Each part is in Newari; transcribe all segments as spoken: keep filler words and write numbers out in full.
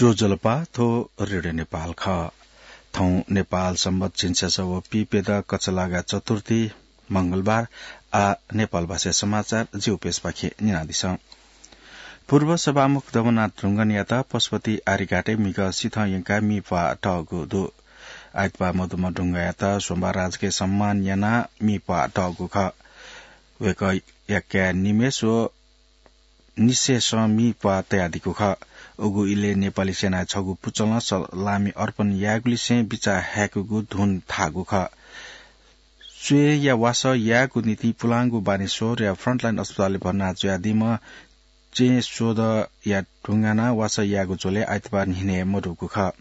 ज्वजलपा, थ्व रेडियो नेपाल खः। थौं नेपाल संवत झिंछसः व पीप्यदँ कछलागा चतुर्थी, मंगलबार। आ, नेपाल भाषा समाचार जिगु पेजपाखें न्यनादिसँ। पूर्व सभामुख दमनाथ ढुङ्गानायात पशुपति आर्यघाटय् म्हिगः सिथं यंकाः मि प्वाः तःगु दु। आइतबाः मदुम्ह ढुङ्गानायात सोमबार राजकीय सम्मान यानाः मि प्वाः तःगु खः। वय्कःया काय् निमेष व निसेसं मि प्वाः तयादीगु खः। उगु इलय् नेपाली सेनाया छगू पुचलं सलामी अर्पण यायेगुलिसें बिचाः हाय्कूगु धुन धाःगु खः। स्वयेया वासः यायेगु निंतिं पुलांगु बानेश्वरया फ्रन्टलाइन अस्पतालय् भर्ना जुयादीम्ह चेंस्वदँया ढुङ्गानां वासः यायेगु झ्वलय् आइतबाः न्हिनय् मदुगु खः।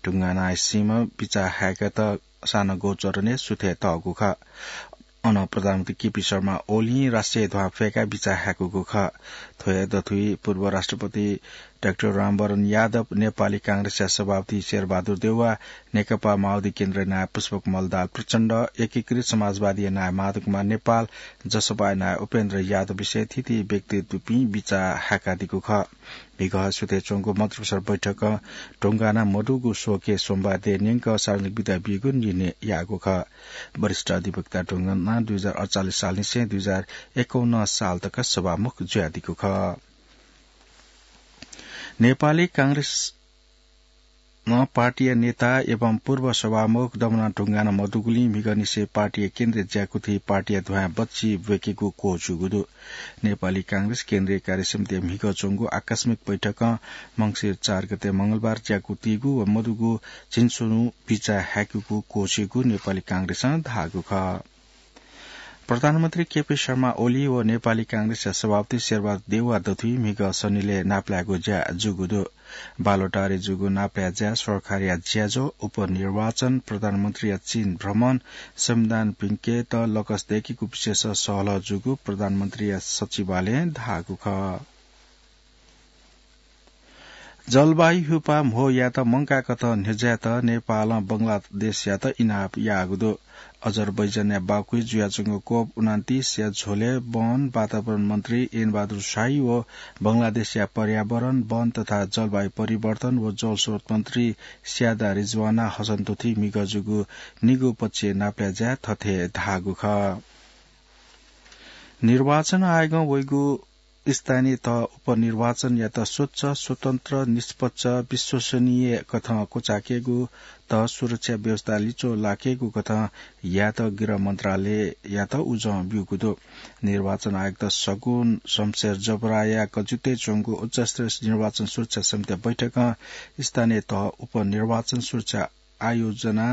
ढुङ्गानाया सीम्ह बिचाः हाय्कात सानं गौचरणय् सुथय् तःगु खः। अन प्रधानमन्त्री केपी शर्मा ओलीं राष्ट्रिय ध्वाँ फय्काः बिचाः हाय्कूगु खः। थ्व हे दथुइ पूर्व राष्ट्रपति डाक्टर रामवरण यादव, नेपाली कांग्रेसया सभापति शेरबहादुर देउवा, नेकपा माओवादी केन्द्रया नायः पुष्पकमल दाहाल प्रचण्ड, एकीकृत समाजवादीया नायः माधव कुमार नेपाल, जसपाया नायः उपेन्द्र यादवलिसे थीथी व्यक्तित्वपिं बिचाः हाय्कादीगु खः। म्हिगः सुथय् च्वंगु मन्त्रिपरिषद बैठकं ढुङ्गाना मदुगु शोकय् सोमबार देय् न्यंकं सार्वजनिक बिदा बीगु निर्णय याःगु खः। वरिष्ठ अधिवक्ता ढुङ्गाना दुई हजार अडचालिस सालनिसें दुई हजार एकाउन्न साल तक सभामुख जुयादीगु खः। नेपाली कांग्रेस नं पार्टीया नेता एवं पूर्व सभामुख दमनाथ ढुङ्गाना मदुगुलिं म्हिगःनिसें पार्टीया केन्द्रीय ज्याकुथि पार्टीया ध्वाँय् बच्छि ब्वय्केगु क्वःछिउगु दु। नेपाली कांग्रेस केन्द्रीय कार्यसमितिया म्हिगः च्वंगु आकस्मिक बैठकं मंसिर चार गते मंगलबार ज्याकुथिगु व मदुगु झिंस्वन्हु बिचाः हाय्कूगु क्वःछिउगु नेपाली कांग्रेसं धाःगु खः। प्रधानमन्त्री केपी शर्मा ओली व नेपाली कांग्रेसया सभापति शेरबहादुर देउवा दथुइ म्हिगः सनिलय् नापलायेगु ज्या जूगु दु। बालुवाटारय् जूगु नापलाये ज्या सरकारया ज्याझ्वः, उपनिर्वाचन, प्रधानमन्त्रीया चीन भ्रमण, संविधान भिंकेत लकस दय्केगु विषयस सहलह जूगु प्रधानमन्त्रीया सचिवालयं धाःगु खः। जलवायु ह्युपाः म्हो यायेत मंकाकथं न्ह्यज्यायेत नेपालं बंगलादेशयात इनाप याःगु दु। अजरबैजानया बाकुइ जुयाच्वंगु कोप उनान्तिसया झ्वलय् वन वातावरण मन्त्री एन बहादुर शाही व बंगलादेशया पर्यावरण, वन तथा जलवायु परिवर्तन व जलस्रोत मन्त्री स्यादा रिजवाना हसन दथुइ म्हिगः जूगु निगू पक्षीय नापलाये ज्याय् थथे धाःगु खः। निर्वाचन आयोगं वइगु स्थानीय तह उपनिर्वाचनयात स्वच्छ, स्वतन्त्र, निष्पक्ष, विश्वसनीय कथं क्वचायेकेगु, तह सुरक्षा व्यवस्था लिच्वः लाकेगु कथं यायेत गृह मन्त्रालययात उजं ब्यूगु दु। निर्वाचन आयुक्त सगुन शमशेर जबराया कजुतय् च्वंगु उच्चस्तरीय निर्वाचन सुरक्षा समितिया बैठकं स्थानीय तह उपनिर्वाचन सुरक्षा आयोजना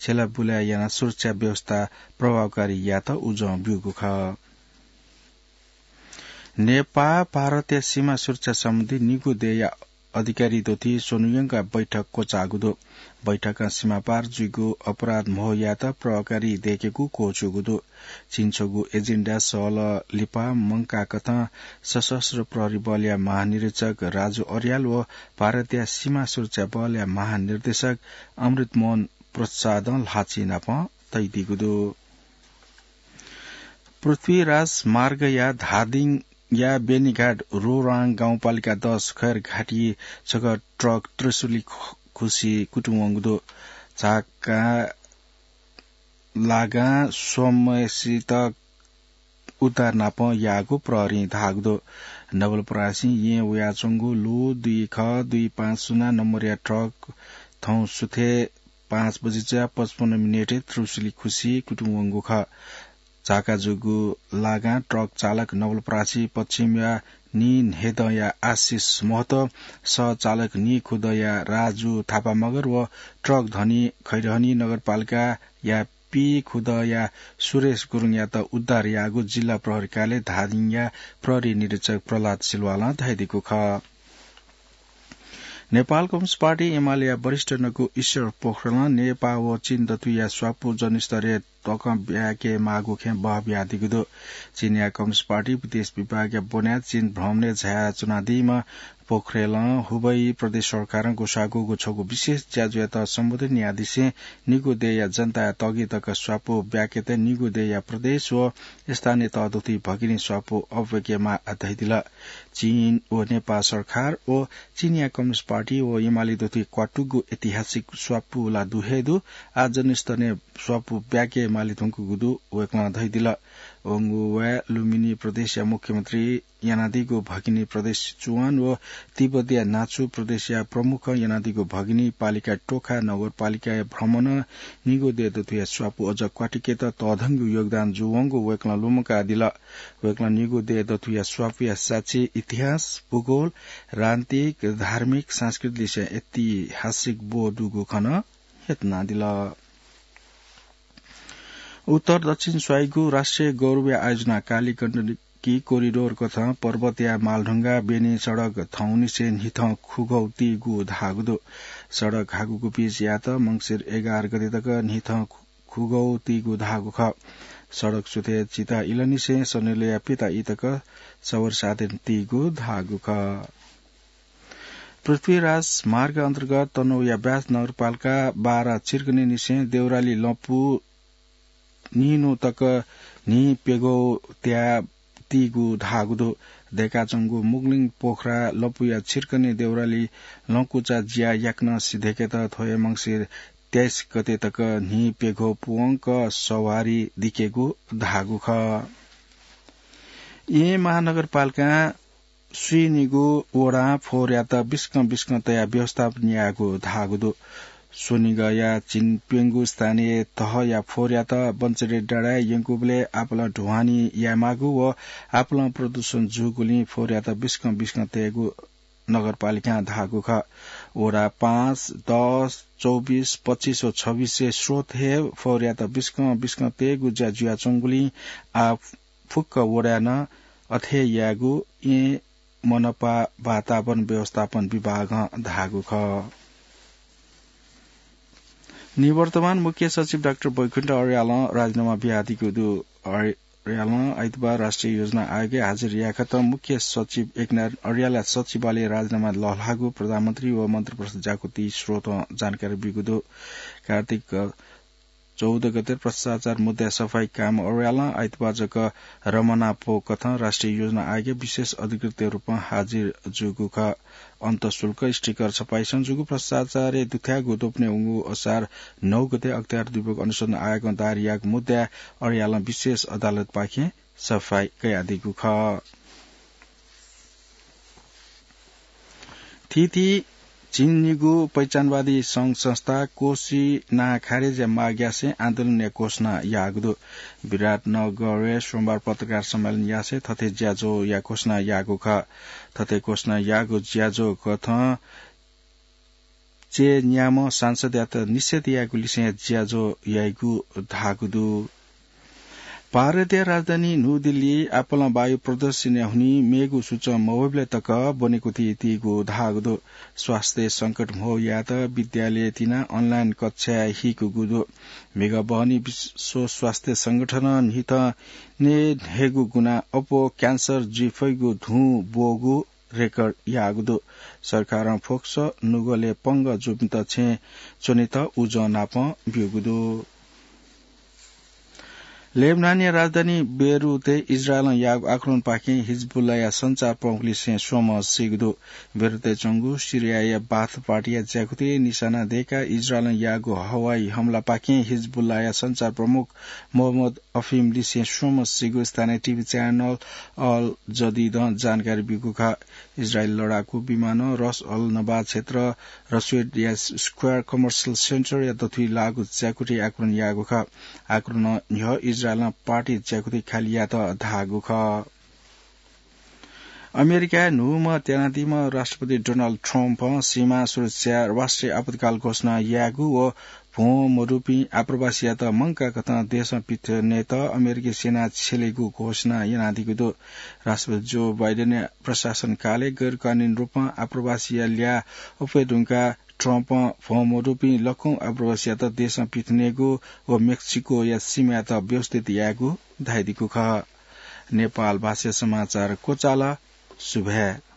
छ्यलाबुलाय् यानाः सुरक्षा व्यवस्था प्रभावकारी यायेत उजं ब्यूगु खः। नेपाः भारतया सीमा सुरक्षा सम्बन्धी निगू देय्या अधिकारी दथुइ स्वन्हु यंकाः बैठक क्वचाःगु दु। बैठकं सीमापार जुइगु अपराध म्हो यायेत प्रभावकारी दय्केगु क्वःछिउगु दु। झिंछगू एजेन्डा सहलह लिपा मंकाकथं सशस्त्र प्रहरी बलया महानिरीक्षक राजु अर्याल व भारतया सीमा सुरक्षा बलया महानिर्देशक अमृत मोहन प्रसादं ल्हाःचिं नापं तयादीगु दु। पृथ्वीराज मार्गया धादिङया बेनीघाट रोराङ गाउँपालिका दस खैरघाटी छगः ट्रक त्रिशुली खु-, खुसी कुतुं वंगु दु। झाका लागां स्वम्हसित उद्धार नापं याःगु प्रहरीं धाःगु दु। नवलपरासी येँ वयाच्वंगु लु दुई ख दुई पाँच शून्य नम्बरया ट्रक थौं सुथय् पाँच बजे जुयाः पचपन्न मिनेटय् त्रिशुली खुसी कुतुं वंगु खः। झाका जूगु लागां ट्रक चालक नवलपरासी पश्चिमया नीन्हेदँया आशिष महतो, सह चालक नीखुदँया राजु थापा मगर व ट्रक धनी खैरहनी नगरपालिकाया पीखुदँया सुरेश गुरुङयात उद्धार याःगु जिल्ला प्रहरी कार्यालय धादिङया प्रहरी निरीक्षक प्रह्लाद सिलवालं धयादीगु खः। नेपाल कम्युनिस्ट पार्टी एमालेया वरिष्ठ नेता ईश्वर पोखरेलं नेपाः व चीन दथुइया स्वापू जनस्तरया तकं ब्याके माःगु खँय् बहः बियादीगु दु। चीनया कम्युनिस्ट पार्टी विदेश विभागया ब्वनाय् चीन भ्रमणय् झायाच्वनादीम्ह पोखरेलं हुबेई प्रदेश सरकारं ग्वसाःगु छगू विशेष ज्याझ्वःयात सम्बोधन यानादिसें निगू देय्‌या जनताया तःगि तक स्वापू ब्याकेत निगू देय्‌या प्रदेश व स्थानीय तः दुथुइ भगिनी स्वापू अब्याकेमाः धयादिल। चीन व नेपाल सरकार व चीनया कम्युनिस्ट पार्टी व एमाले दुथुइ क्वातुगु ऐतिहासिक स्वापू ला दु हे दु। आः जनस्तरय् स्वापू ब्याके माले धुंकूगु दु वय्‌कलं धयादिल। वंगु वाय् लुम्बिनी प्रदेशया मुख्यमन्त्री यानादीगु भगिनी प्रदेश सिचुवान व तिब्बतया नाचु प्रदेशया प्रमुखं यानादीगु भगिनी पालिका टोखा नगरपालिकाया भ्रमणं निगू देय् दथुया स्वापू अझ क्वातुकेत तःधंगु योगदान जूवंगु वय्‌कलं लुमंकादिल। वय्‌कलं निगू देय् दथुया स्वापूया साक्षी इतिहास, भूगोल, राजनीतिक, धार्मिक, सांस्कृतिक लिसें ऐतिहासिक ब्व दुगु खँ नं ह्यतुनादिल। उत्तर दक्षिण स्वाइगु राष्ट्रिय गौरवया आयोजना काली गण्डकी कोरिडोर कथं पर्वतया मालढुङ्गा बेनी सडक थौंनिसें न्हिथं खुगौ तीगु धाःगु दु। सडक हाकुगु बीच यात मंसिर एघार गते तक न्हिथं खु-, खुगौ तीगु धाःगु खः। सडक सुथय् चिता इलंनिसें सनेलया पिता इतक सवर साधन तीगु धाःगु खः। पृथ्वीराज मार्ग अन्तर्गत तनहुँया ब्यास नगरपालिका बारा चिर्कनीनिसें देउराली लँपु निन्हु तक न्हि प्यघौ त्याः तीगु धाःगु दु। दय्‌काच्वंगु मुग्लिङ पोखरा लँपुया चिर्कनी देउराली लँकुचा ज्या याकनं सिधय्‌केत थ्व हे मंसिर तेइस गते तक न्हि प्यघौ पुवंक सवारी दिकेगु धाःगु खः। येँ महानगरपालिकां स्वीनिगू वडां फोहोरयात बिस्कं बिस्कं तयाः व्यवस्थापन यायेगु धाःगु दु। स्वनिगःया झिंप्यंगू स्थानीय तहया फोहोरयात बन्चरे डाँडाय् यंकूबलय् आपालं ढुवानी यायेमाःगु व आपालं प्रदूषण जूगुलिं फोहोरयात बिस्कं बिस्कं तयेगु नगरपालिकां धाःगु खः। वडा पाँच, दस, चौबिस, पच्चिस व छब्बिसय् स्रोतय् फोहोरयात बिस्कं बिस्कं तयेगु ज्या जुयाच्वंगुलिं आः फुक्क वडाय् नं अथे यायेगु येँ मनपा वातावरण व्यवस्थापन विभागं धाःगु खः। निवर्तमान मुख्य सचिव डाक्टर बैकुण्ठ अर्यालं राजीनामा बियादीगु दु। अर्यालं आइतबार राष्ट्रिय योजना आयोगय् हाजिर यायेखत मुख्य सचिव एकनारायण अर्यालया सचिवालयय् राजीनामा लःल्हाःगु प्रधानमन्त्री व मन्त्रिपरिषद ज्याकुथि स्रोतं जानकारी ब्यूगु दु। कार्तिक चौध गते भ्रष्टाचार मुद्दाय् सफाई कायेम्ह अर्यालं आइतबार जक रमनापो कथं राष्ट्रिय योजना आयोगय् विशेष अधिकृतया रूपं हाजिर जूगु खः। अन्तःशुल्क, स्टिकर छपाईसं जूगु भ्रष्टाचारय् दुथ्याःगु द्वपनय् वंगु असार नौ गते अख्तियार दुब्यूगु अनुसन्धान आयोगं दायर याःगु मुद्दाय् अर्यालं विशेष अदालतपाखें सफाई कयादीगु खः। थीथी झिंनिगू पहिचानवादी संघ संस्था कोसी नां खारेजया माग यासें आन्दोलनया घोषणा याःगु दु। विराटनगरय् सोमबार पत्रकार सम्मेलन यासें थथे ज्याझ्वःया घोषणा याःगु खः। थथे घोषणा याःगु ज्याझ्वः कथं चय्‌न्याम्ह सांसदयात निषेध यायेगु लिसें ज्याझ्वः याइगु धाःगु दु। भारतया राजधानी न्यू दिल्ली आपालं वायु प्रदूषणया हुनिं मेगु सूचं मवइबलय् तक ब्वनेकुथि तीगु धाःगु दु। स्वास्थ्य संकट म्हो यायेत विद्यालय तिनाः online कक्षाय् हीकुगु दु। म्हिगः बहनी विश्व स्वास्थ्य संगठनं न्हिथं न्हय्‌गू गुणा अप्वः cancer जुइफइगु धुं ब्वःगु record याःगु दु। सरकारं फोकस नुगलय् पंगः जूपिन्त छेँय् च्वनेत उजं नापं ब्यूगु दु। लेबनानया राजधानी बेरुतय् इजरायलं याःगु आक्रमणपाखें हिजबुल्लाया सञ्चार प्रमुखलिसें स्वम्ह सीगु दु। बेरुतय् च्वंगु सिरियाया बाथ पार्टीया ज्याकुथिइ निशाना दय्‌काः इजरायलं याःगु हवाई हमलापाखें हिजबुल्लाया सञ्चार प्रमुख मोहम्मद अफिमलिसें स्वम्ह सीगु स्थानीय TV channel अल जदिदं जानकारी ब्यूगु खः। इजरायली लडाकू विमानं रस अल नबा क्षेत्र रसुएडया Square Commercial Centreया दथुइ लाःगु ज्याकुथिइ आक्रमण याःगु खः। आक्रमणं न्ह्यः इजरायलं पार्टी ज्याकुथि खालि यात धाःगु खः। अमेरिकाय् न्हूम्ह त्यानादीम्ह राष्ट्रपति डोनाल्ड ट्रम्पं सीमा सुरक्षाय् राष्ट्रिय आपतकाल घोषणा यायेगु व भ्वं मदुपिं आप्रवासीयात मंकाकथं देशं पिथनेत अमेरिकी सेना छ्यलेगु घोषणा यानादीगु दु। राष्ट्रपति जो बाइडेनया प्रशासनकालय् गैरकानूनी रूपं आप्रवासीया ल्याः अप्वये धुंकाः ट्रम्पं भ्वं मदुपिं लखं आप्रवासीयात देशं पिथनेगु व मेक्सिकोया सीमायात व्यवस्थित यायेगु धयादीगु खः। नेपाल भाषा समाचार क्वचाल। सुभाय्।